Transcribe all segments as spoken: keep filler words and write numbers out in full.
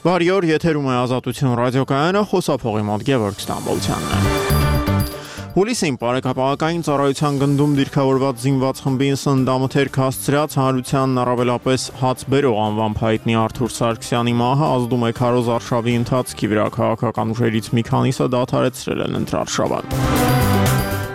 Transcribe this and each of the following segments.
Բարի օր, եթերում է Ազատություն ռադիոկայանը, խոսափողի մոտ Գևորգ Ստամբոլցյանն է։ Հուլիսին բարեկապահական ծառայության գնդում դիրքավորված զինված խմբին սննդամթերք հասցրած հանրությանն առավելապես հաց բերող անվամբ հայտնի Արթուր Սարգսյանի մահը ազդում է քարոզ արշավի ընթացքի վրա, քաղաքական ուժերից մի քանիսը դադարեցրել են ընտրարշավան։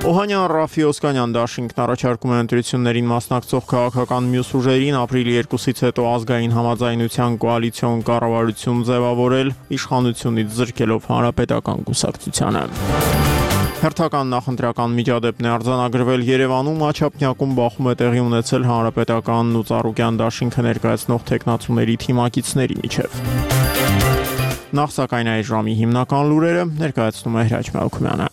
Օհանյան Ռաֆի Օսկանյան դաշինքն առաջարկում է ընտրություններին մասնակցող քաղաքական մյուս ուժերին ապրիլի երկուսից հետո ազգային համաձայնության կոալիցիոն կառավարություն ձևավորել, իշխանությունից զրկելով հանրապետական կուսակցությանը։ Հերթական նախընտրական միջադեպն է արձանագրվել Երևանում, Աչափնյակում բախում է տեղի ունեցել հանրապետականն ու Ծառուկյան դաշինքը ներկայացնող թեկնածուների թիմակիցների միջև։ Նախ սակայն այս ժամի հիմնական լուրերը ներկայացնում է Հրաչ Մելքումյանը։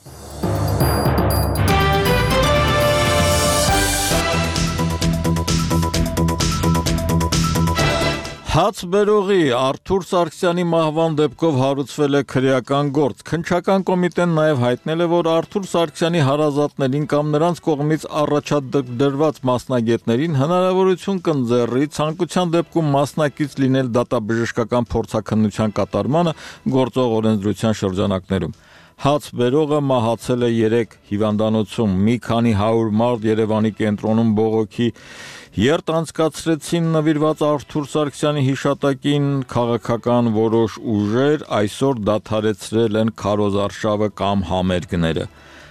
Հաց բերողի Արթուր Սարգսյանի մահվան դեպքով հարուցվել է քրեական գործ։ Քննչական կոմիտեն նաև հայտնել է, որ Արթուր Սարգսյանի հարազատներին կամ նրանց կողմից առաջադրված մասնագետներին հնարավորություն կընձեռի ցանկության դեպքում մասնակից լինել դատաբժշկական փորձաքննության կատարմանը գործող օրենսդրության շրջանակներում։ Հաց բերողը մահացել է երեկ հիվանդանոցում, մի քանի հարյուր մարդ Երևանի կենտրոնում բողոքի երթ անցկացրեցին նվիրված Արթուր Սարգսյանի հիշատակին, քաղաքական որոշ ուժեր այսօր դադարեցրել են քարոզարշավը կամ համերգները։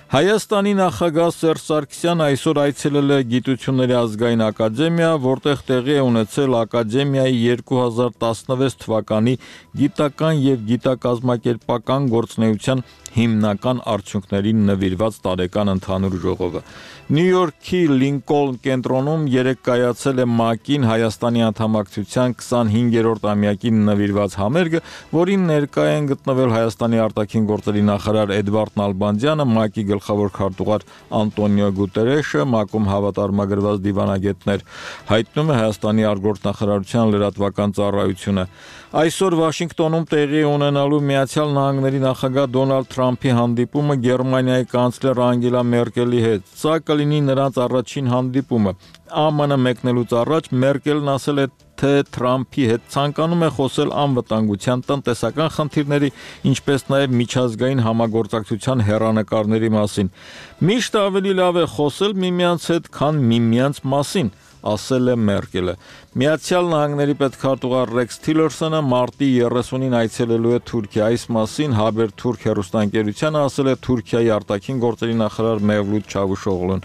Հայաստանի նախագահ Սերժ Սարգսյանը այսօր այցելել է Գիտությունների ազգային ակադեմիա, որտեղ տեղի է ունեցել ակադեմիայի երկու հազար տասնվեց թվականի գիտական եւ գիտակազմակերպական գործունեության հիմնական արդյունքներին նվիրված տարեկան ընդհանուր ժողովը։ Նյու Յորքի Լինկոլն կենտրոնում երեկ կայացել է ՄԱԿ-ին Հայաստանի անդամակցության քսանհինգերորդ ամյակին նվիրված համերգը, որին ներկա են գտնվել Հայաստանի արտաքին գործերի նախարար Էդվարդ Նալբանդյանը, ՄԱԿ-ի գլխավոր քարտուղար Անտոնիո Գուտերեշը, ՄԱԿ-ում հավատարմագրված դիվանագետներ, հայտնում է Հայաստանի արտգործնախարարության լրատվական ծառայությունը։ Այսօր Վաշինգտոնում տեղի ունենալու Միացյալ Նահանգների նախագահ Դոնալդ Թրամփի հանդիպումը Գերմանիայի կանցլեր Անգելա Մերկելի հետ։ Սա կլինի նրանց առաջին հանդիպումը։ Է Մ Ն մեկնելուց առաջ Մերկելն ասել է, թե Թրամփի հետ ցանկանում է խոսել անվտանգության, տնտեսական խնդիրների, ինչպես նաև միջազգային համագործակցության հեռանկարների մասին։ Միշտ ավելի լավ է խոսել միմյանց հետ, քան միմյանց մասին, ասել է Մերկելը։ Միացյալ Նահանգների պետքարտուղար Ռեքս Թիլերսոնը մարտի երեսունին այցելելու է Թուրքիա։ Այս մասին Haberturk հեռուստաընկերությանը ասել է Թուրքիայի արտաքին գործերի նախարար Մևլութ Չավուշօղլուն։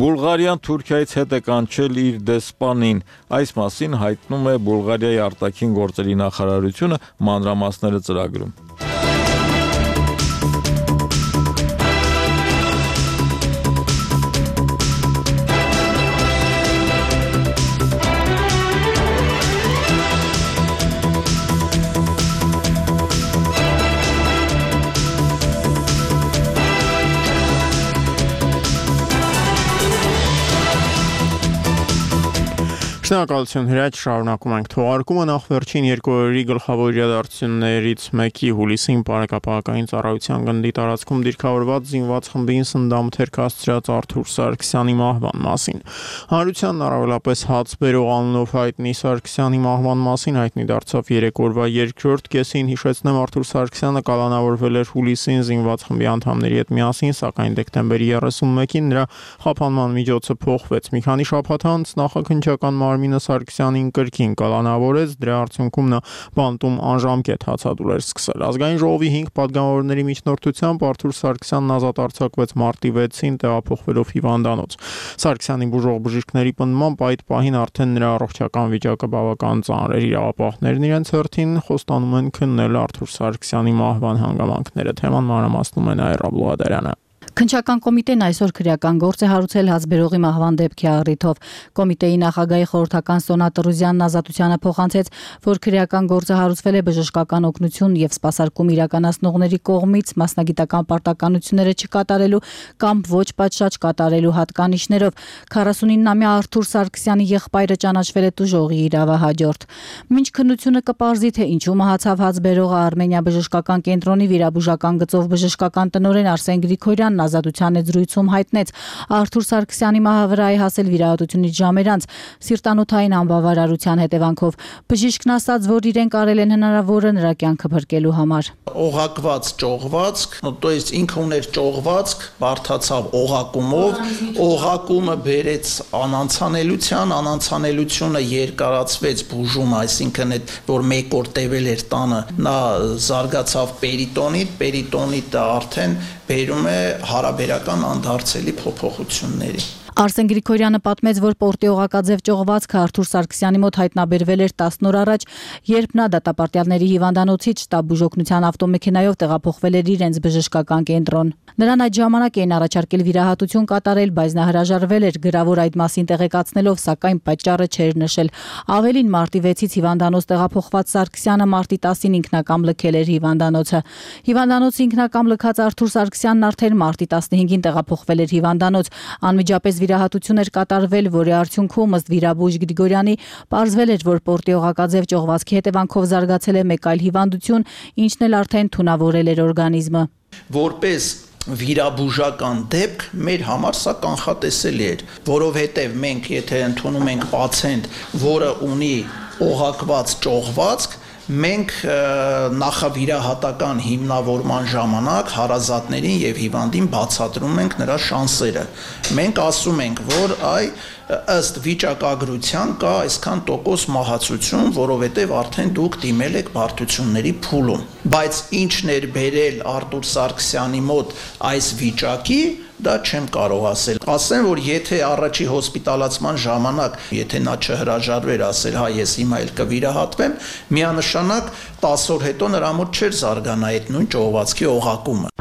Բուլղարիան Թուրքիայից հետ է կանչել իր դեսպանին։ Այս մասին հայտնում է Բուլղարիայի արտաքին գործերի նախարարությունը, մանրամասները ծրագրում։ Շնորհակալություն Հրաչ, շարունակում ենք թողարկումը նախ վերջին երկու օրերի գլխավոր իրադարձություններից մեկի հուլիսին բարեկապահական ծառայության գնդի տարածքում դիրքավորված զինված խմբին սննդամթերք հասցրած Արթուր Սարգսյանի մահվան մասին։ Հանրությանն առավելապես հաց բերող անունով հայտնի Սարգսյանի մահվան մասին հայտնի դարձավ երեք օրվա երկրորդ կեսին, հիշեցնեմ Արթուր Սարգսյանը կալանավորվել էր հուլիսին զինված խմբի անդամների հետ միասին, սակայն դեկտեմբերի երեսունմեկին նրա խափանման միջոցը փոխվեց։ Մի քանի շաբաթ անց նախաքննչական Մարմինը Սարգսյանին կրկին կալանավորեց, դրա արդյունքում նա բանտում անժամկետ հացադուլ էր սկսել։ Ազգային ժողովի հինգ պատգամավորների միջնորդությամբ Արթուր Սարգսյանն ազատ արձակվեց մարտի վեցին, տեղափոխվելով հիվանդանոց։ Սարգսյանի բուժող բժիշկների պնդմամբ այդ պահին արդեն նրա առողջական վիճակը բավական ծանր էր։ Իրավապահներն իրենց հերթին խոստանում են քննել Արթուր Սարգսյանի մահվան հանգամանքները։ Թեման մանրամասնում է Նաիրա Բլուադարյանը։ Քննչական կոմիտեն այսօր քրեական գործ է հարուցել հացբերողի մահվան դեպքի առիթով։ Կոմիտեի նախագահի խորհրդական Սոնա Տրուզյանն Ազատությանը փոխանցեց, որ քրեական գործը հարուցվել է բժշկական օգնություն եւ սպասարկում իրականացնողների կողմից մասնագիտական պարտականությունները չկատարելու կամ ոչ պատշաճ կատարելու հատկանիշներով։ քառասունինամյա Արթուր Սարգսյանի եղբայրը ճանաչվել է տուժողի իրավահաջորդ։ Մինչ քննությունը կպարզի, թե ինչու մահացավ հացբերողը, Արմենիա բժշկական կենտրոնի վիրաբուժական գծով բժշկական տնօրեն Արսեն Գրիգորյանն Սարգսյանն Ազատության զրույցում հայտնեց. Արթուր Սարգսյանի մահը վրա է հասել վիրահատությունից ժամեր անց սիրտանոթային անբավարարության հետևանքով։ Բժիշկն ասաց, որ իրենք արել են հնարավորը նրա կյանքը փրկելու համար։ Օղակված ճողվածք, то есть ինքը ուներ ճողվածք, բարթացավ օղակումով, օղակումը բերեց անանցանելության, անանցանելությունը երկարացվեց բուժումը, այսինքն այդ որ մեկ օր տևել էր տանը, նա զարգացավ պերիտոնիտ, պերիտոնիտը արդեն բերում է հարաբերական անդարձելի փոփոխությունների։ Արսեն Գրիգորյանը պատմեց, որ պորտի օղակաձև ճողվածքը Արթուր Սարգսյանի մոտ հայտնաբերվել էր տասն օր առաջ, երբ նա դատապարտյալների հիվանդանոցից շտաբ բուժօգնության ավտոմեքենայով տեղափոխվել էր իրենց բժշկական կենտրոն։ Նրան այդ ժամանակ էին առաջարկել վիրահատություն կատարել, բայց նա հրաժարվել էր գրավոր այդ մասին տեղեկացնելով, սակայն պատճառը չէր նշել։ Ավելին, մարտի վեցից հիվանդանոց տեղափոխված Սարգսյանը մարտի տասին ինքնակամ լքել էր հիվանդանոցը։ Հիվանդանոցը ինքնակամ լքած Արթուր Սարգսյանն արդեն մարտի տասնհինգին տեղափոխվել էր հիվանդանոց։ Անմիջապես վիրահատություն էր կատարվել, որի արդյունքում ըստ վիրաբույժ Գրիգորյանի պարզվել էր, որ պորտի օղակաձև ճողվածքի հետևանքով զարգացել է մեկ այլ հիվանդություն, ինչն էլ արդեն թունավորել էր օրգանիզմը։ Որպես վիրաբուժական դեպք մեր համար սա կանխատեսելի էր, որովհետև մենք եթե ընդունում ենք պացիենտ, որը ունի օղակված ճողվածք, մենք նախավիրահատական հիմնավորման ժամանակ հարազատներին եւ հիվանդին բացատրում ենք նրա շանսերը։ Մենք ասում ենք, որ այ ըստ վիճակագրության կա այսքան տոկոս մահացություն, որովհետեւ արդեն դուք դիմել եք բարդությունների փուլում։ Բայց ինչն էր բերել Արթուր Սարգսյանի մոտ այս վիճակի, դա չեմ կարող ասել։ Ասեմ, որ եթե առաջի հոսպիտալացման ժամանակ, եթե նա չհրաժարվեր ասել, հա ես հիմա էլ կվիրահատվեմ, միանշանակ տասը օր հետո նրա մոտ չէր զարգանա այդ նույն ճողվածքի օղակումը։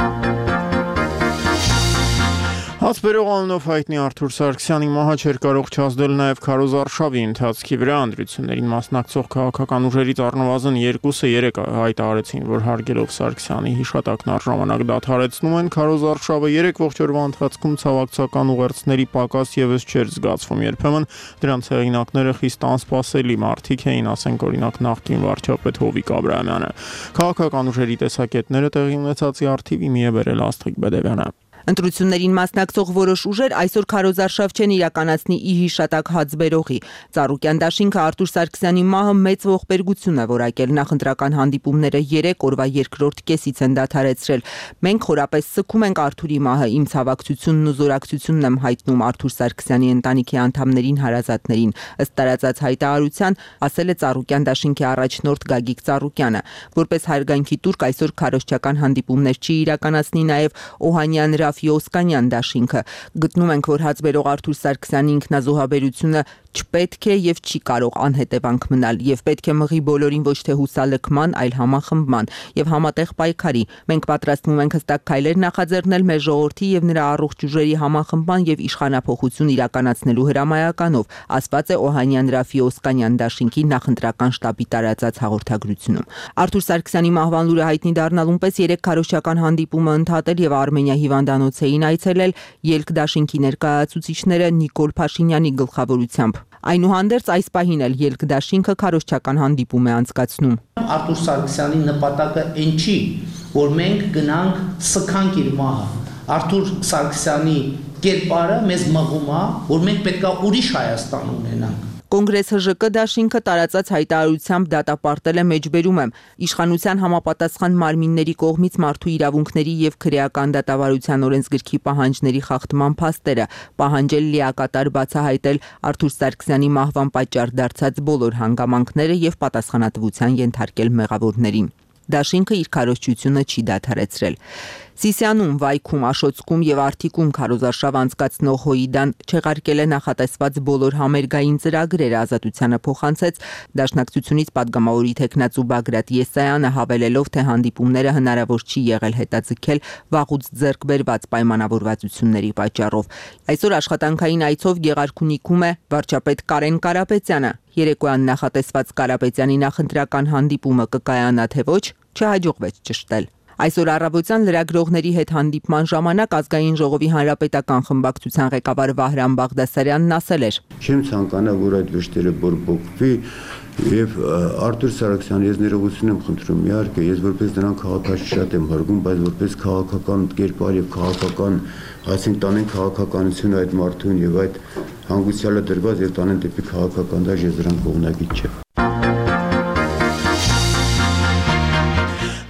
Հացբերող անունով հայտնի Արթուր Սարգսյանի մահը չէր կարող չազդել նաև քարոզարշավի ընթացքի վրա։ Ընտրություններին մասնակցող քաղաքական ուժերից առնվազն երկուսը երեք հայտարարեցին, որ հարգելով Սարգսյանի հիշատակն առժամանակ դադարեցնում են քարոզարշավը։ Երեք ողջ օրվա ընթացքում ցավակցական ուղերձների պակաս եւս չէր զգացվում։ Երբեմն դրանց հեղինակները խիստ անսպասելի մարդիկ էին, ասենք օրինակ նախկին վարչապետ Հովիկ Աբրահամյանը։ Քաղաքական ուժերի տեսակետները տեղի ունեցածի արդիվ իմի է բերել Աստղիկ Բեդևյանը։ Ընտրություններին մասնակցող որոշ ուժեր այսօր քարոզարշավ չեն իրականացնի ի հիշատակ հացբերողի։ Ծառուկյան դաշինքը Արթուր Սարգսյանի մահը մեծ ողբերգություն է որակել։ Նախընտրական հանդիպումները երեք օրվա երկրորդ կեսից են դադարեցրել։ Մենք խորապես սգում ենք Արթուրի մահը, իմ ցավակցությունն ու զորակցությունն եմ հայտնում Արթուր Սարգսյանի ընտանիքի անդամներին, հարազատներին։ Ըստ տարածած հայտարարության, ասել է Ծառուկյան դաշինքի առաջնորդ Գագիկ Ծառուկյանը։ Որպես հարգանքի տուրք այսօր քարոզչական հանդիպումներ չի իրականացնի նաև Օհանյան Օսկանյան դաշինքը։ Գտնում ենք, որ հացբերող Արթուր Սարգսյանի ինքնազոհաբերությունը չպետք է եւ չի կարող անհետևանք մնալ եւ պետք է մղի բոլորին ոչ թե հուսալքման, այլ համախմբման եւ համատեղ պայքարի։ Մենք պատրաստվում ենք հստակ քայլեր նախաձեռնել մեր ժողովրդի եւ նրա առողջ ուժերի համախմբման եւ իշխանափոխություն իրականացնելու հրամայականով, ասված է Օհանյան Ռաֆի Օսկանյան դաշինքի նախընտրական շտաբի տարածած հաղորդագրությունում։ Արթուր Սարգսյանի մահվան լուրը հայտնի դառնալուն պես երեք քարոզչական հանդիպումը ընդհատել եւ Արմենիա հիվանդանոց էին այցելել Ելք դաշինքի ներկայացուցիչները Նիկոլ Փաշինյանի գլխավորությամբ։ Այնուհանդերձ այս պահին էլ Ելք դաշինքը քարոզչական հանդիպում է անցկացնում։ Արթուր Սարգսյանի նպատակը այն չի, որ մենք գնանք սքանք իր մահը։ Արթուր Սարգսյանի կերպարը մեզ մղում է, որ մենք պետքա ուրիշ Հայաստան ունենանք։ Կոնգրես ՀԺԿ դաշինքը տարածած հայտարարությամբ դատապարտել է մեջբերում եմ իշխանության համապատասխան մարմինների կողմից մարդու իրավունքների եւ քրեական դատավարության օրենսգրքի պահանջների խախտման փաստերը, պահանջել լիակատար բացահայտել Արթուր Սարգսյանի մահվան պատճառ դարձած բոլոր հանգամանքները եւ պատասխանատվության ենթարկել մեղավորներին։ Դաշինքը իր քարոզչությունը չի դադարեցրել։ Սիսիանում, Վայքում, Աշոցքում եւ Արթիկում քարոզարշավ անցկացնող Հոիդան չեղարկել է նախատեսված բոլոր համերգային ծրագրերը, Ազատությանը փոխանցեց Դաշնակցությունից падգամավորի տեխնացու Բագրատ Եսայանը, հավելելով, թե հանդիպումները հնարավոր չի եղել հետաձգել վաղուց ձեռք բերված պայմանավորվածությունների պատճառով։ Այսօր աշխատանքային այցով Գեղարքունիքում է վարչապետ Կարեն Կարապետյանը։ Երեկոյան նախատեսված Կարապետյանի նախընտրական հանդիպումը կկայանա թե ոչ, չհաջողվեց ճշտել։ Այսօր առավոտյան լրագրողների հետ հանդիպման ժամանակ Ազգային ժողովի հանրապետական խմբակցության ղեկավար Վահրամ Բաղդասարյանն ասել էր. Չեմ ցանկանա, որ այդ վշտերը բորբոքվի, Եվ Արտուր Սարգսյան, ես ներողություն եմ խնդրում, իհարկե, ես որպես նրան քաղաքացի շատ եմ հարգում, բայց որպես քաղաքական կերպար եւ քաղաքական, այսինքն տանեն քաղաքականությունը այդ մարդուն եւ այդ հանգուցյալը դրված եւ տանեն դեպի քաղաքական դաշտ, ես դրան կողմնակից չեմ։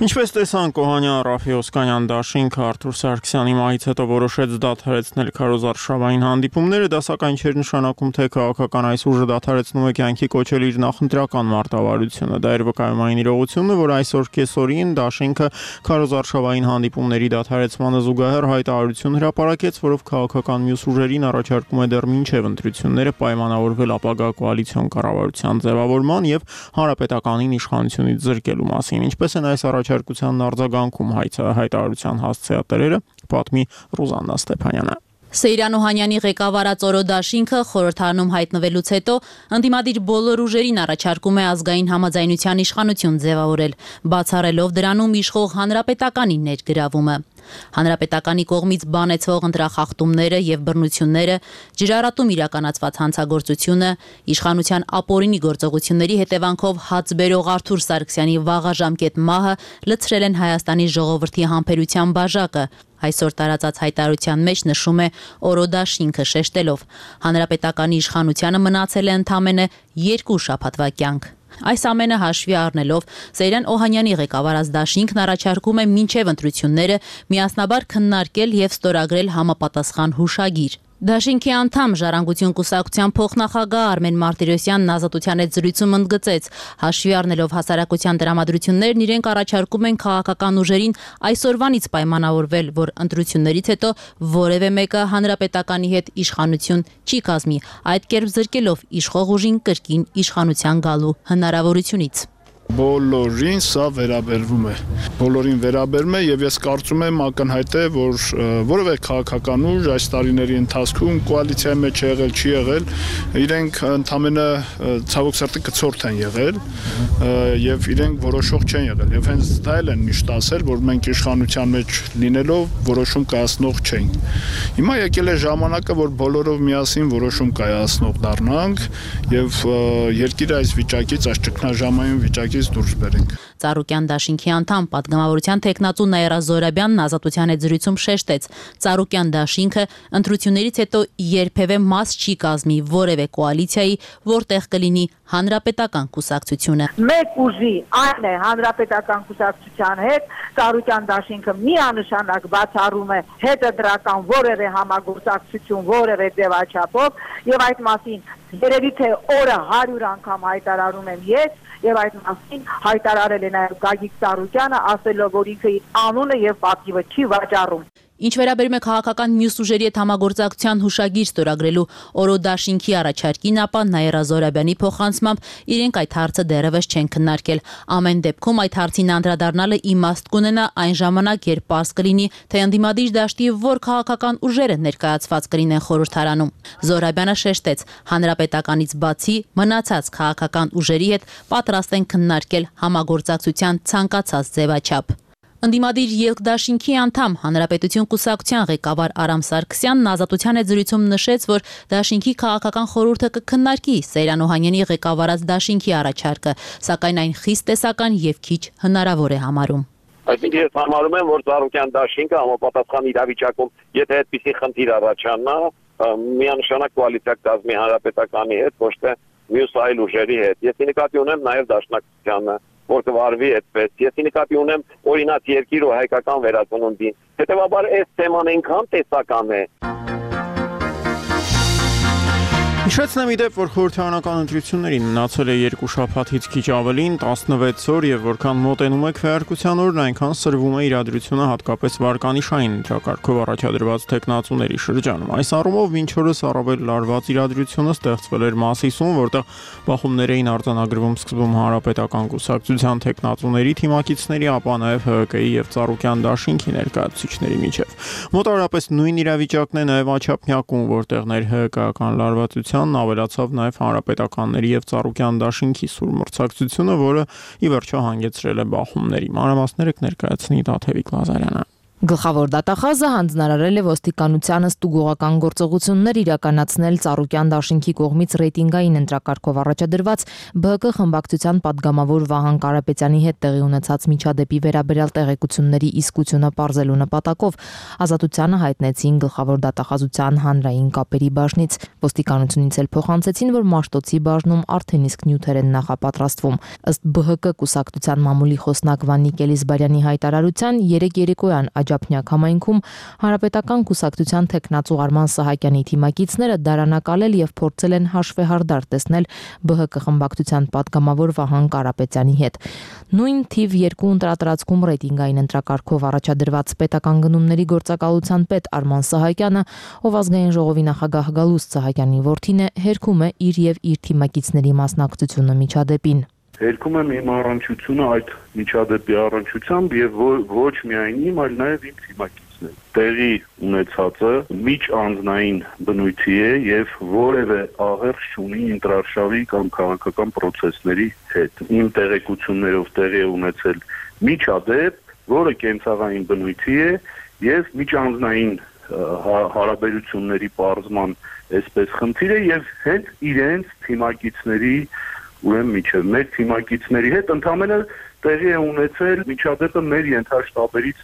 Ինչպես տեսանք, Օհանյան Ռաֆի Օսկանյան դաշինքը Արտուր Սարգսյանի մահից հետո որոշեց դադարեցնել քարոզարշավային հանդիպումները, դա սակայն չէր նշանակում, թե քաղաքական այս ուժը դադարեցնում է կյանքի կոչել իր նախընտրական մարտավարությունը։ Դա էր վկայումային իրողությունը, որ այսօր կեսօրին դաշինքը քարոզարշավային հանդիպումների դադարեցմանը զուգահեռ հայտարարություն հրապարակեց, որով քաղաքական մյուս ուժերին առաջարկում է դեռ մինչև ընտրությունները պայմանավորվել ապագա կոալիցիոն կառավարության ձևավորման եւ հանրապետականին իշխանությունից զրկելու մասին։ Ինչպես են այս առաջարկությանն արձագանքում հայտարարության հասցեատերերը, պատմի Ռուզաննա Ստեփանյանը։ Սեյրան Օհանյանի ղեկավարած Օրո դաշինքը խորհրդարանում հայտնվելուց հետո ընդդիմադիր բոլոր ուժերին առաջարկում է ազգային համաձայնության իշխանություն ձևավորել, բացառելով դրանում իշխող հանրապետականի ներգրավումը։ Հանրապետականի կողմից բանեցվող ընտրախախտումները եւ բռնությունները, ջրառատում իրականացված հանցագործությունը, իշխանության ապօրինի գործողությունների հետևանքով հաց բերող Արտուր Սարգսյանի վաղաժամկետ մահը լցրել են Հայաստանի ժողովրդի համբերության բաժակը։ Այսօր տարածած հայտարարության մեջ նշում է Օրո դաշինքը շեշտելով. հանրապետականի իշխանությանը մնացել է ընդամենը երկու շաբաթվա կյանք։ Այս ամենը հաշվի առնելով Սեյրան Օհանյանի ղեկավարած դաշինքն առաջարկում է մինչև ընտրությունները միասնաբար քննարկել եւ ստորագրել համապատասխան հուշագիր։ Դաշինքի անդամ Ժառանգություն կուսակցության փոխնախագահ Արմեն Մարտիրոսյանն Ազատության հետ զրույցում ընդգծեց. հաշվի առնելով հասարակության տրամադրություններն, իրենք առաջարկում են քաղաքական ուժերին այսօրվանից պայմանավորվել, որ ընտրություններից հետո որևէ մեկը հանրապետականի հետ իշխանություն չի կազմի, այդ կերպ զրկելով իշխող ուժին կրկին իշխանության գալու հնարավորությունից։ Բոլորին սա վերաբերվում է։ Բոլորին վերաբերում է եւ ես կարծում եմ ակնհայտ է, որ որևէ քաղաքական ուժ այս տարիների ընթացքում կոալիցիայի մեջ եղել չի եղել, իրենք ընդամենը ցավոք սրտի կցորդ են եղել եւ իրենք որոշող չեն եղել։ Եվ հենց դա էլ են միշտ ասել, որ մենք իշխանության մեջ լինելով որոշում կայացնող չենք։ Հիմա եկել է ժամանակը, որ բոլորով միասին որոշում կայացնող դառնանք եւ երկիրը այս վիճակից, այս ճգնաժամային վիճակից դուրս բերենք։ Ծառուկյան դաշինքի անդամ պատգամավորության տեխնացու Նաիրա Զորաբյանն Ազատության հետ զրույցում շեշտեց. Ծառուկյան դաշինքը ընտրություններից հետո երբևէ մաս չի կազմի որևէ կոալիցիայի, որտեղ կլինի հանրապետական կուսակցությունը։ Մեկ ուժի այն է հանրապետական կուսակցության հետ, Ծառուկյան դաշինքը միանշանակ բացառում է հետընտրական որևէ համագործակցություն, որևէ ձևաչափով եւ այդ մասին երևի թե օրը հարյուր անգամ հայտարարում եմ ես եւ այդ մասին հայտարարել է նաեւ Գագիկ Ծառուկյանը, ասելով, որ ինքը անունը եւ պատիվը չի վաճառում։ Ինչ վերաբերում է քաղաքական մյուս ուժերի հետ համագործակցության հուշագիր ստորագրելու Օրո դաշինքի առաջարկին, ապա Նաիրա Զորաբյանի փոխանցմամբ իրենք այդ հարցը դեռևս չեն քննարկել։ Ամեն դեպքում այդ հարցին անդրադառնալը իմաստ կունենա այն ժամանակ, երբ պարզ կլինի, թե ընդդիմադիր դաշտի որ քաղաքական ուժերը ներկայացված կլինեն խորհրդարանում։ Զորաբյանը շեշտեց, հանրապետականից բացի մնացած քաղաքական ուժերի հետ պատրաստ են քննարկել համագործակցության ցանկացած ձևաչափ։ Ընդդիմադիր երկդաշինքի անդամ Հանրապետություն կուսակցության ղեկավար Արամ Սարգսյանն Ազատության հետ զրույցում նշեց, որ դաշինքի քաղաքական խորհուրդը կքննարկի Սեյրան Օհանյանի ղեկավարած դաշինքի առաջարկը, սակայն այն խիստ տեսական եւ քիչ հնարավոր է համարում։ Այսինքն ես համարում եմ, որ Ծառուկյան դաշինքը համապատասխան իրավիճակում, եթե այդպիսի խնդիր առաջանա, միանշանակ կոալիցիա կազմի հանրապետականի հետ, ոչ թե մյուս այլ ուժերի հետ։ Ես նկատի ունեմ նաեւ դաշնակցությանը, որ կվարվի այդպես։ Ես նկատի ունեմ օրինաց երկիր ու հայկական վերածնունդին։ Հետևաբար այս թեման այնքան տեսական է։ Հիշեցնեմ իդեպ, որ խորհրդարանական ընտրություններին մնացել է երկու շաբաթից քիչ ավելին, տասնվեց օր եւ որքան մոտենում է քվեարկության օրն, այնքան սրվում է իրադրությունը հատկապես վարկանիշային ընտրակարգով առաջադրված տեխնացուների շրջանում։ Այս առումով մինչ օրս առավել լարված իրադրությունը ստեղծվել էր Մասիսում, որտեղ բախումներ էին արձանագրվում սկզբում Հանրապետական կուսակցության տեխնացուների թիմակիցների, ապա նաեւ Հ Կ ի եւ Ծառուկյան դաշինքի ներկայացուցիչների միջև։ Մոտավորապես նույն իրավիճակն է նաեւ Աչափնյակում, որտեղ ներ Հ Կ-ական լարվածության ավելացավ նաև հանրապետականների եւ Ծառուկյան դաշինքի սուր մրցակցությունը, որը ի վերջո հանգեցրել է բախումների։ Մանրամասները կներկայացնի Տաթևիկ Լազարյանը։ Գլխավոր դատախազը հանձնարարել է ոստիկանությանը ստուգողական գործողություններ իրականացնել Ծառուկյան դաշինքի կողմից ռեյտինգային ընտրակարգով առաջադրված ԲՀԿ խմբակցության падգամավոր Վահան Կարապետյանի հետ տեղի ունեցած միջադեպի վերաբերյալ տեղեկությունների իսկությունը պարզելու նպատակով Ազատությանը հայտնեցին գլխավոր դատախազության հանրային կապերի բաժնից։ Ոստիկանությունից էլ փոխանցեցին, որ Մաշտոցի բաժնում արդեն իսկ նյութեր են նախապատրաստվում։ Ըստ ԲՀԿ կուսակցության մամուլի խոսնակ Վանիկ Էլիզբարյանի հայտարարության երեկ երեկոյան Աջափնյակ համայնքում Հանրապետական կուսակցության թեկնածու Արման Սահակյանի թիմակիցները դարանակալել եւ փորձել են հաշվեհարդար տեսնել ԲՀԿ խմբակցության падգամավոր Վահան Կարապետյանի հետ։ Նույն թիվ երկու ընտրատարածքում ռեյտինգային ընտրակարգով առաջադրված պետական գնումների գործակալության պետ Արման Սահակյանը, ով ազգային ժողովի նախագահ Գալուստ Սահակյանի որդին է, հերքում է իր եւ իր թիմակիցների մասնակցությունը միջադեպին։ Հերքում եմ իմ առնչությունը այդ միջադեպի առնչությամբ եւ ոչ միայն իմ, այլ նաեւ իմ թիմակիցներ։ Տեղի ունեցածը միջանձնային բնույթի է եւ որևէ աղերս չունի ինտրարշավի կամ քաղաքական process-ների հետ։ Իմ տեղեկություններով տեղի է ունեցել միջադեպ, որը կենցաղային բնույթի է եւ միջանձնային հարաբերությունների պարզման այսպես խնդիր է եւ հենց իրենց թիմակիցների ուրեմն միջև մեր թիմակիցների հետ ընդամենը տեղի է ունեցել միջադեպը մեր ենթաշտաբերից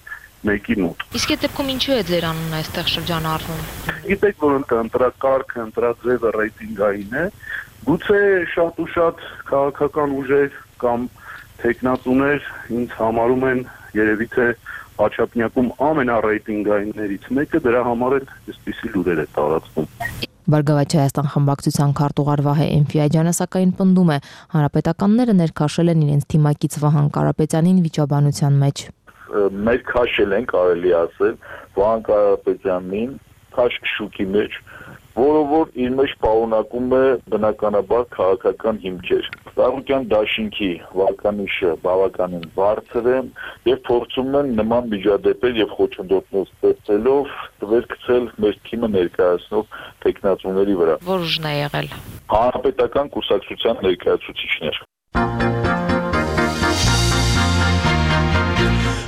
մեկի մոտ։ Իսկ այդ դեպքում ինչու է ձեր անունը այստեղ շրջանառվում։ Գիտեք, որ ընտրակարգը, ընտրաձևը ռեյտինգային է, գուցե շատ ու շատ քաղաքական ուժեր կամ տեխնատուներ ինձ համարում են երևի թե Աջափնյակում ամենառեյտինգայիններից մեկը, դրա համար էլ այսպիսի լուրեր է տարածվում։ Բարգավաճ Հայաստան խմբակցության քարտուղար Վահե Էնֆիաջյանը սակայն պնդում է, հանրապետականները ներքաշել են իրենց թիմակից Վահան Կարապետյանին վիճաբանության մեջ։ Մեր քաշել են, կարելի ասել, Վահան Կարապետյանին քաշ շուկի մեջ, որը որ իր մեջ պարունակում է բնականաբար քաղաքական հիմքեր։ Ծառուկյան դաշինքի վարկանիշը բավականին բարձր է եւ փորձում են նման միջադեպեր եւ խոչընդոտներ ստեղծելով տվեր գցել մեր թիմը ներկայացնող տեխնացուների վրա։ Որ ուժն է եղել։ Հանրապետական կուսակցության ներկայացուցիչներ։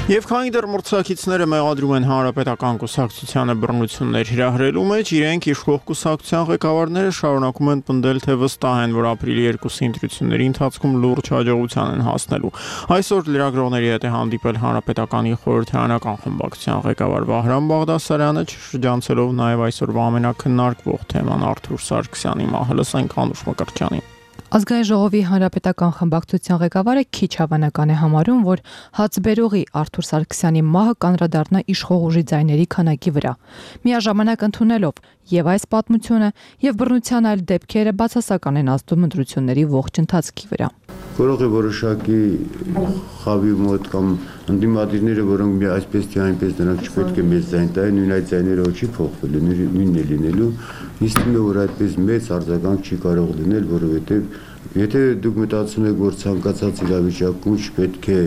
Եվ քանի դեռ մրցակիցները մեղադրում են Հանրապետական կուսակցությանը բռնություններ հրահրելու մեջ, իրենք իշխող կուսակցության ղեկավարները շարունակում են պնդել, թե վստահ են, որ ապրիլի երկուսի ընտրությունների ընթացքում լուրջ հաջողության են հասնելու։ Այսօր լրագրողների հետ է հանդիպել Հանրապետականի խորհրդարանական խմբակցության ղեկավար Վահրամ Բաղդասարյանը, շրջանցելով նաև այսօրվա ամենակննարկվող թեման Արթուր Սարգսյանի մահը։ Լսենք Անուշ Մկրտչյանին։ Ազգային ժողովի հանրապետական խմբակցության ղեկավարը քիչ հավանական է համարում, որ հացբերողի Արթուր Սարգսյանի մահը կանդրադառնա իշխող ուժի ձայների քանակի վրա։ Միաժամանակ ընդունելով եւ այս պատմությունը եւ բռնության այլ դեպքերը բացասական են ազդում ընտրությունների ողջ ընթացքի վրա։ Կարող է որոշակի խավի մոտ կամ ընդդիմադիրները, որոնք մի այսպես թե այնպես նրանք չպետք է մեծ ձայն տային, նույն այդ ձայները չի փոխվելու, նույնն է լինելու։ Իսկ թվում է, որ այդպես մեծ արձագանք չի կարող լինել, որովհետև եթե դուք մտածում եք, որ ցանկացած իրավիճակում չպետք է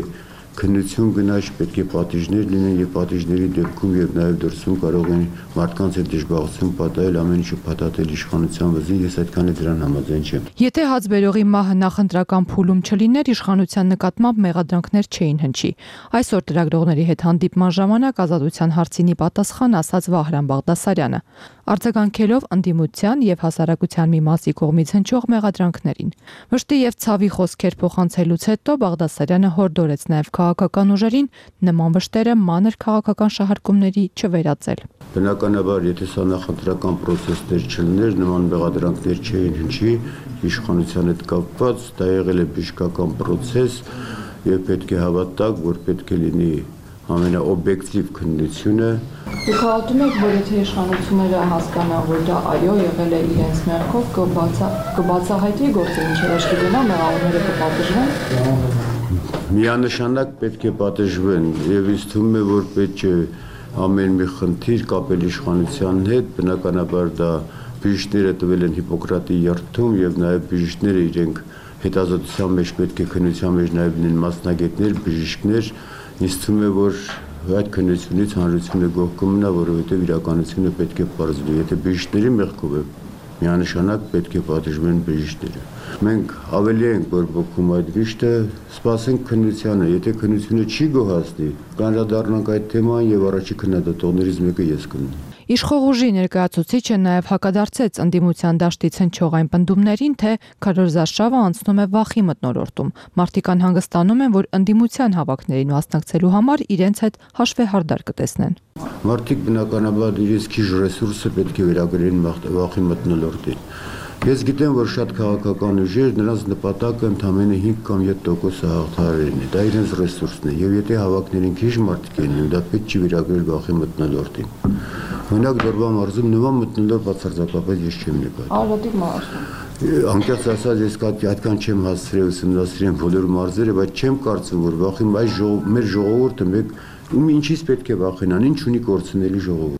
քննություն գնա, պետք է պատիժներ լինեն եւ պատիժների դեպքում եւ նաեւ դրսում կարող են մարդկանց հետ դժբախտություն պատահել, ամեն ինչը փաթաթել իշխանության վզին, ես այդքան է դրան համաձայն չեմ։ Եթե հացբերողի մահը նախընտրական փուլում չլիներ, իշխանության նկատմամբ մեղադրանքներ չէին հնչի։ Այսօր լրագրողների հետ հանդիպման ժամանակ Ազատության հարցինի պատասխան ասաց Վահրամ Բաղդասարյանը, արձագանքելով ընդդիմության եւ հասարակության մի մասի կողմից հնչող մեղադրանքներին։ Վշտի եւ ցավի խոսքեր փոխանցելուց հետո Բաղդասարյանը հորդորեց նաեւ քաղաքական ուժերին նման վշտերը մանր քաղաքական շահարկումների չվերածել։ Բնականաբար, եթե սա նախընտրական process-ներ չլիներ, նման մեղադրանքներ չէին հնչի իշխանության հետ կապված, դա եղել է բժշկական process եւ պետք է հավատաք, որ պետք է լինի ամենաօբյեկտիվ քննությունը։ Դուք հավատում եք, որ եթե իշխանությունները հասկանան, որ դա այո եղել է իրենց մեղքով, կբացահայտվի գործը, ինչեր աչքի գնա, մեղավորները կպատժվեն։ Միանշանակ պետք է պատժվեն եւ ինձ թվում է, որ պետք է ամեն մի խնդիր կապել իշխանության հետ, բնականաբար դա բժիշկները տվել են Հիպոկրատի երդում եւ նաեւ բժիշկները իրենք հետազոտության մեջ պետք է քննության մեջ նաեւ լինեն մասնագետներ, բժիշկներ, ինձ թվում է, որ այդ քննությունից հանրությունը գոհ կմնա, որովհետեւ իրականությունը պետք է պարզվի, եթե բժիշկների մեղքով է միանշանակ պետք է պատժվեն բժիշկները։ Մենք ավելի ենք բորբոքում այդ վիշտը, սպասենք քննությանը, եթե քննությունը չի գոհացնի, կանրադառնանք այդ թեման եւ առաջի քննադատողներից մեկը ես կլինեմ։ Իշխող ուժի ներկայացուցիչը նաև հակադարձեց ընդդիմության դաշտից հնչող այն պնդումներին, թե քարոզարշավը անցնում է վախի մթնոլորտում։ Մարդիկ անհանգստանում են, որ ընդդիմության հավաքներին մասնակցելու համար իրենց հետ հաշվեհարդար կտեսնեն։ Մարդիկ բնականաբար իրենց քիչ ռեսուրսը պետք է վերագրեն վախի մթնոլորտին։ Ես գիտեմ, որ շատ քաղաքական ուժեր նրանց նպատակը ընդամենը հինգ կամ յոթ տոկոս հաղթահարելն է, դա իրենց ռեսուրսն է, եւ եթե հավաքներին քիչ մարդիկ են, դա պետք չի վերագրել վախի մթնոլորտին։ Օրինակ Դորբա մարզում նման մթնոլորտ բացարձակապես ես չեմ նկատի։ Արոտիկ մարզ։ Անկեղծ ասած, ես այդքան չեմ հասցրել ուսումնասիրել բոլոր մարզերը, բայց չեմ կարծում, որ վախի այս ժողով մեր ժողովուրդը մեկ ում ինչից պետք է վախենան, ինչ ունի կորցնելի ժողովուրդ։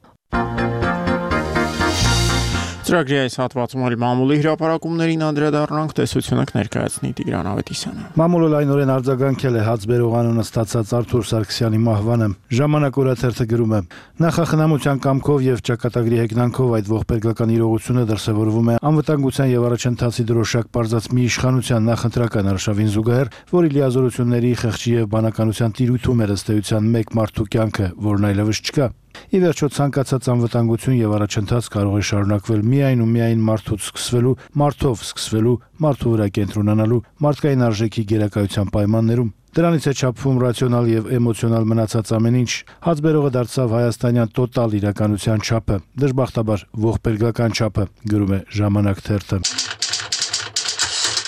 Ծրագրի այս հատվածում էլ մամուլի հրապարակումներին անդրադառնանք, տեսությունը կներկայացնի Տիգրան Ավետիսյանը։ Մամուլը լայնորեն արձագանքել է հացբերող անունը ստացած Արթուր Սարգսյանի մահվանը։ Ժամանակ օրաթերթը գրում է. Նախախնամության կամքով եւ ճակատագրի հեգնանքով այդ ողբերգական իրողությունը դրսևորվում է անվտանգության եւ առաջընթացի դրոշակ պարզած մի իշխանության նախընտրական արշավին զուգահեռ, որի լիազորությունների, խեղճի եւ բանականության տիրույթում էր ըստ էության մեկ մարդու կյանքը, որն այլևս չկա։ Ի վերջո ցանկացած անվտանգություն եւ առաջընթաց կարող է շարունակվել միայն ու միայն մարդուց սկսվելու, մարդով սկսվելու, մարդու վրա կենտրոնանալու, մարդկային արժեքի գերակայության պայմաններում։ Դրանից է չափվում ռացիոնալ եւ էմոցիոնալ մնացած ամեն ինչ։ Հացբերողը դարձավ հայաստանյան տոտալ իրականության չափը, դժբախտաբար ողբերգական չափը, գրում է Ժամանակ թերթը։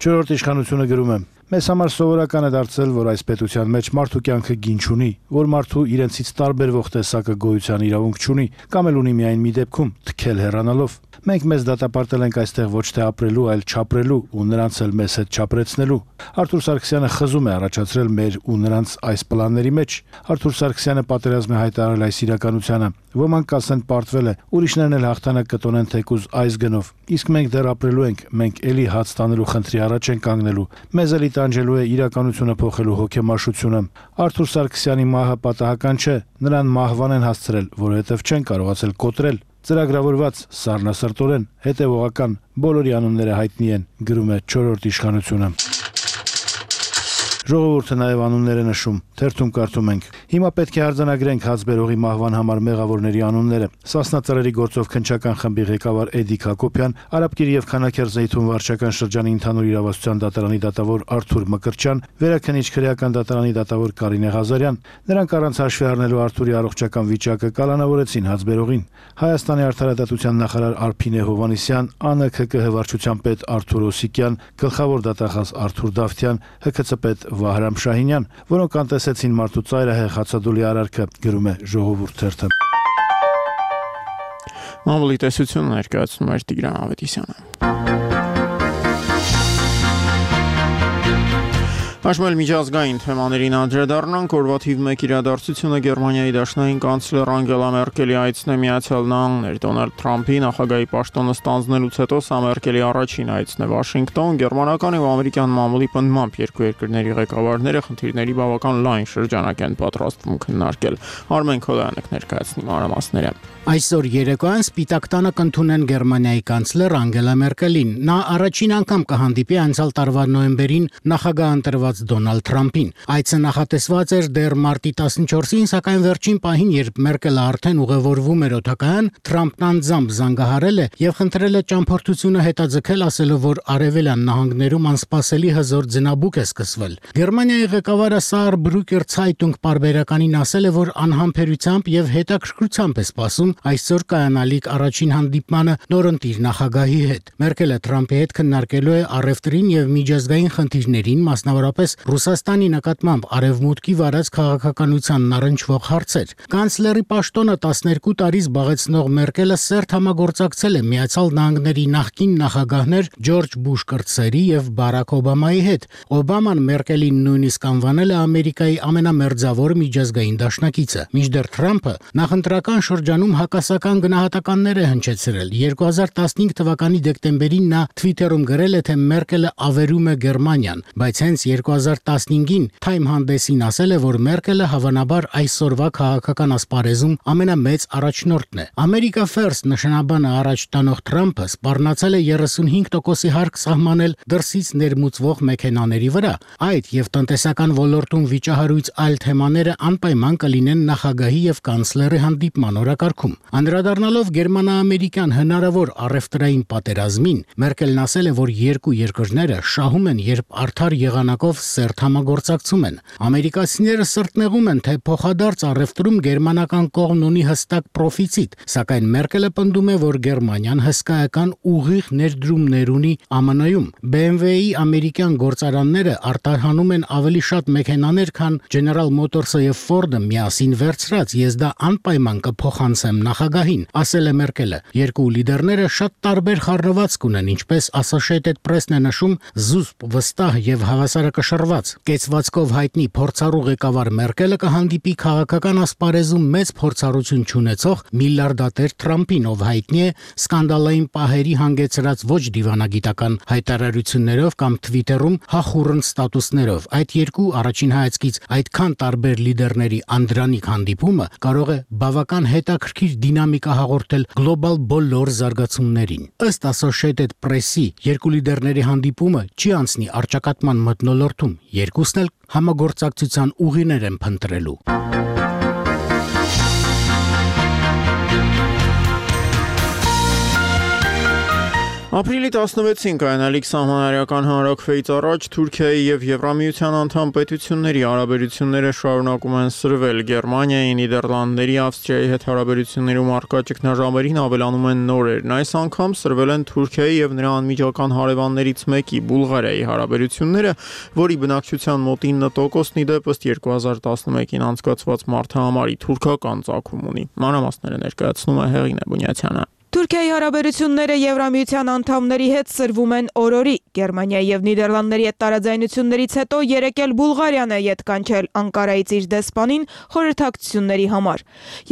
Չորրորդ իշխանությունը գրում է. Մեզ համար սովորական է դարձել, որ այս պետության մեջ մարդու կյանքը գին չունի, որ մարդու իրենցից տարբերվող տեսակը գոյության իրավունք չունի, կամ էլ ունի միայն մի դեպքում՝ թքել հեռանալով։ Մենք մեզ դատապարտել ենք այստեղ ոչ թե ապրելու, այլ չապրելու ու նրանց էլ մեզ հետ չապրեցնելու։ Արթուր Սարգսյանը խզում է առաջացրել մեր ու նրանց այս պլանների մեջ։ Արթուր Սարգսյանը պատերազմ է հայտարարել այս իրականությանը։ Ոմանք կասեն պարտվել է, ուրիշներն էլ հաղթանակ կտոնեն թեկուզ այս գնով։ Իսկ մենք դեռ ապրելու ենք, մենք էլի հաց տանելու խնդրի առաջ ենք կանգնելու։ Մեզ էլի տանջելու է իրականությունը փոխելու հոգեմաշությունը։ Արթուր Սարգսյանի մահը պատահական չէ, նրան մահվան են հասցրել, որովհետև չեն կարողացել կոտրել։ Ծրագրավորված, սառնասրտորեն, հետևողական, բոլորի անունները հայտնի են, գրում է չորրորդ իշխանությունը։ Ժողովուրդը նաև անուններ է նշում, թերթում կարդում ենք. Հիմա պետք է արձանագրենք հացբերողի մահվան համար մեղավորների անունները։ Սասնա ծռերի գործով քննչական խմբի ղեկավար Էդիկ Հակոբյան, Արաբկիրի եւ Քանաքերձեյթուն վարչական շրջանի ընդհանուր իրավասության դատարանի դատավոր Արթուր Մկրտչյան, Վերաքնիչ քրեական դատարանի դատավոր Կարինե Ղազարյան։ Նրանք առանց հաշվի առնելու Արթուրի առողջական վիճակը կալանավորեցին հացբերողին։ Հայաստանի արդարադատության նախարար Արփինե Հովհաննիսյան, ԱՆՔԿ վարչության պետ Արթուր Օսիկյան, գլխավոր դատախազ Արթուր Դավթյան, ՀՔՑ պետ Վահրամ Շահինյան, որոնք անտեսեցին մարդու ծայրահեղ հացադուլի արարքը, գրում է Ժողովուրդ թերթը։ Մամուլի տեսությունը ներկայացնում էր Տիգրան Ավետիսյանը։ Աշխարհի միջազգային թեմաներին անդրադառնանք, օրվա թիվ մեկ իրադարձությունը Գերմանիայի դաշնային կանցլեր Անգելա Մերկելի այցն է Միացյալ Նահանգներ։ Դոնալդ Թրամփի նախագահի պաշտոնը ստանձնելուց հետո սա Մերկելի առաջին այցն է Վաշինգտոն։ Գերմանական եւ ամերիկյան մամուլի պնդմամբ երկու երկրների ղեկավարները խնդիրների բավական լայն շրջանակ են պատրաստվում քննարկել։ Արմեն Քոլյանը կներկայացնի մանրամասները։ Այսօր երեկոյան Սպիտակ տանը կընդունեն Գերմանիայի կանցլեր Անգելա Մերկելին։ Նա առաջին անգամ կհանդիպի անցյալ տարվա նոյեմբերին նախագահ ընտրված Դոնալդ Թրամփին։ Այցը նախատեսված էր դեռ մարտի տասնչորսին, սակայն վերջին պահին, երբ Մերկելը արդեն ուղևորվում էր օդակայան, Թրամփն անձամբ զանգահարել է եւ խնդրել է ճամփորդությունը հետաձգել, ասելով, որ արևելյան նահանգներում անսպասելի հզոր ձնաբուք է սկսվել։ Գերմանիայի ղեկավարը Saarbrücker Zeitung պարբերականին ասել է, որ անհամբերությամբ եւ հետաքրքրությամբ է սպասում այսօր կայանալիք առաջին հանդիպմանը նորընտիր նախագահի հետ։ Մերկելը Թրամփի հետ քննարկելու է առևտրին եւ միջազգային խնդիրներին, մասնավորապես Ռուսաստանի նկատմամբ արևմուտքի վարած քաղաքականությանն առնչվող հարցեր։ Կանցլերի պաշտոնը տասներկու տարի զբաղեցնող Մերկելը սերտ համագործակցել է Միացյալ Նահանգների նախկին նախագահներ Ջորջ Բուշ կրտսերի եւ Բարակ Օբամայի հետ։ Օբաման Մերկելին նույնիսկ անվանել է Ամերիկայի ամենամերձավոր միջազգային դաշնակիցը։ Մինչդեռ Թրամփը նախընտրական շրջանում հակասական գնահատականներ է հնչեցրել։ երկու հազար տասնհինգ թվականի դեկտեմբերին նա Twitter-ում գրել է, թե Մերկելը ավերում է Գերմանիան, բայց հենց երկու երկու հազար տասնհինգին Time հանդեսին ասել է, որ Մերկելը հավանաբար այսօրվա քաղաքական ասպարեզում ամենամեծ առաջնորդն է։ America First նշանաբանը առաջ տանող Թրամփը սպառնացել է երեսունհինգ տոկոսի հարկ սահմանել դրսից ներմուծվող մեքենաների վրա։ Այդ եւ տնտեսական ոլորտում վիճահարույց այլ թեմաները անպայման կլինեն նախագահի եւ կանցլերի հանդիպման օրակարգում։ Անդրադառնալով գերմանա-ամերիկյան հնարավոր առևտրային պատերազմին, Մերկելն ասել է, որ երկու երկրները շահում են, երբ արդար եղանակով սերտ համագործակցում են։ Ամերիկացիները սրտնեղում են, թե փոխադարձ առևտրում գերմանական կողմն ունի հստակ պրոֆիցիտ, սակայն Մերկելը պնդում է, որ Գերմանիան հսկայական ուղիղ ներդրումներ ունի Է Մ Ն-ում։ B M W-ի ամերիկյան գործարանները արտահանում են ավելի շատ մեքենաներ, քան General Motors-ը եւ Ford-ը միասին վերցրած, ես դա անպայման կփոխանցեմ նախագահին, ասել է Մերկելը։ Երկու լիդերները շատ տարբեր խառնվածք ունեն, ինչպես Associated Press-ն է նշում, զուսպ, վստահ եւ հավասարակշռված։ Կեցվածքով հայտնի փորձառու ղեկավար Մերկելը կհանդիպի քաղաքական ասպարեզում մեծ փորձառություն չունեցող միլիարդատեր Թրամփին, ով հայտնի է սկանդալային պահերի հանգեցրած ոչ դիվանագիտական հայտարարություններով կամ Twitter-ում հախուռն ստատուսներով։ Այդ երկու առաջին հայացքից այդքան տարբեր լիդերների անդրանիկ հանդիպումը կարող է բավական հետաքրքիր դինամիկա հաղորդել գլոբալ բոլոր զարգացումներին։ Ըստ Associated Press-ի, երկու լիդերների հանդիպումը չի անցնի առճակատման մթնոլորտում, երկուսն էլ համագործակցության ուղիներ են փնտրելու։ Ապրիլի տասնվեցին կայանալիք սահմանարական հանրաքվեից առաջ Թուրքիայի եւ Եվրամիության անդամ պետությունների հարաբերությունները շարունակում են սրվել։ Գերմանիայի, Նիդերլանդների, Ավստրիայի հետ հարաբերություններում առկա ճգնաժամերին ավելանում են նորերն։ Այս անգամ սրվել են Թուրքիայի եւ նրա անմիջական հարևաններից մեկի՝ Բուլղարիայի հարաբերությունները, որի բնակչության մոտ ինը տոկոսն ի դեպ ըստ երկու հազար տասնմեկին անցկացված մարդահամարի թուրքական ծագում ունի։ Մանրամասները ներկայացնում է Հեղինե Բունյացյանը։ Թուրքիայի հարաբերությունները Եվրամիության անդամների հետ սրվում են օրորի։ Գերմանիայի եւ Նիդերլանդների հետ տարաձայնություններից հետո երեկ էլ Բուլղարիան է յետ կանչել Անկարայից իր դեսպանին խորհրդակցությունների համար։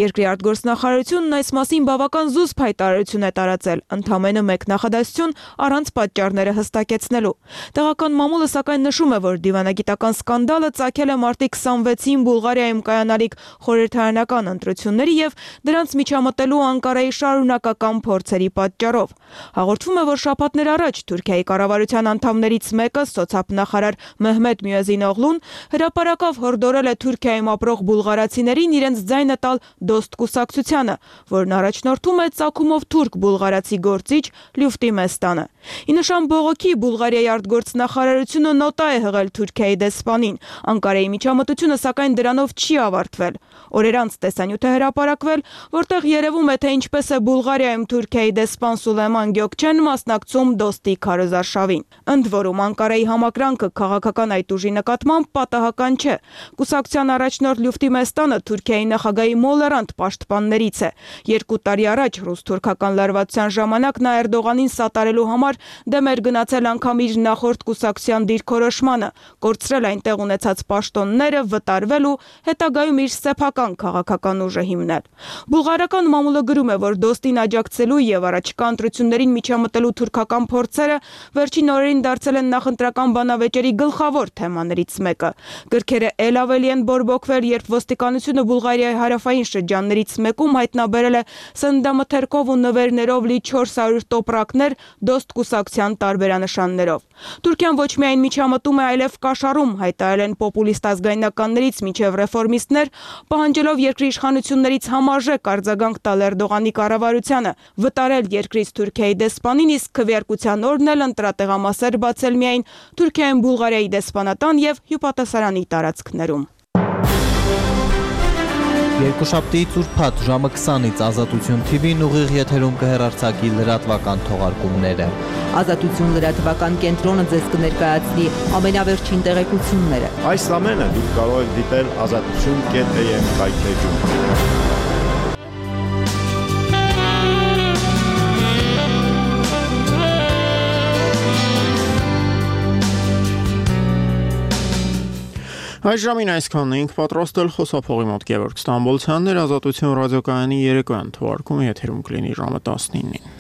Երկրի արտգործնախարարությունն այս մասին բավական զուսպ հայտարարություն է տարածել, ընդամենը մեկ նախադասություն առանց պատճառները հստակեցնելու։ Տեղական մամուլը սակայն նշում է, որ դիվանագիտական սկանդալը ծագել է մարտի քսանվեցին Բուլղարիայում կայանալիք խորհրդարանական ընտրությունների եւ դրանց միջամտելու Անկարայի շարունակական փորձերի պատճառով։ Հաղորդվում է, որ շաբաթներ առաջ Թուրքիայի կառավարության անդամներից մեկը, սոցիալնախարար Մեհմեդ Մյուեզին-օղլուն, հրապարակավ հորդորել է Թուրքիայում ապրող բուլղարացիներին իրենց ձայնը տալ դոստ կուսակցությանը, որն առաջնորդում է ծագումով թուրք բուլղարացի գործիչ Լյուֆտի Մեստանը։ Ի նշան բողոքի Բուլղարիայի արտգործնախարարությունը նոտա է հղել Թուրքիայի դեսպանին։ Անկարայի միջամտությունը սակայն դրանով չի ավարտվել։ Օրեր անց տեսանյութ է հրապարակվել, որտեղ երևում է, թե ինչպես է Բուլղարիայում Թուրքիայի դեսպան Սուլեյման Գյոկչեն մասնակցում դոստի քարոզարշավին։ Ընդ որում Անկարայի համակրանքը քաղաքական այդ ուժի նկատմամբ պատահական չէ։ Կուսակցության առաջնորդ Լյուֆտի Մեստանը Թուրքիայի նախագահի մոլերանտ պաշտպաններից է։ Երկու տարի առաջ ռուս-թուրքական լարվածության ժամանակ նա Էրդողանին սատարելու համար դեմ էր գնացել անգամ իր նախորդ կուսակցության դիրքորոշմանը, կորցրել այնտեղ ունեցած պաշտոնները, վտարվել ու հետագայում իր սեփական քաղաքական ուժը հիմնել։ Բուլղարական մամուլը գրում է, որ դոստին աջակցելու եւ առաջիկա ընտրություններին միջամտելու թուրքական փորձերը վերջին օրերին դարձել են նախընտրական բանավեճերի գլխավոր թեմաներից մեկը։ Գրքերը ել ավելի են բորբոքվել, երբ ոստիկանությունը Բուլղարիայի հարավային շրջաններից մեկում հայտնաբերել է սննդամթերքով ու նվերներով լի չորս հարյուր տոպրակներ դոստ կուսակցության տարբերանշաններով։ Թուրքիան ոչ միայն միջամտում է, այլև կաշառում, հայտարարել են պոպուլիստ ազգայնականներից մինչև ռեֆորմիստներ, պահանջելով երկրի իշխանություններից համարժեք արձագանք տալ Էրդողանի կառավարությանը, վտարել երկրից Թուրքիայի դեսպանին, իսկ քվեարկության օրն էլ ընտրատեղամասեր բացել միայն Թուրքիայում Բուլղարիայի դեսպանատան եւ հյուպատասարանի տարածքներում։ Երկուշաբթիից ուրբաթ ժամը քսանից Ազատություն Թի Վին ուղիղ եթերում կհեռարձակի լրատվական թողարկումները։ Ազատություն լրատվական կենտրոնը ձեզ կներկայացնի ամենավերջին տեղեկությունները։ Այս ամենը դուք կարող եք դիտել ազատություն կետ է եմ կայքեջում։ Այս ժամին այսքանն էինք պատրաստել, խոսափողի մոտ Գևորգ Ստամբոլցյանն էր, Ազատություն ռադիոկայանի երեկոյան թողարկումը եթերում կլինի ժամը տասնինին։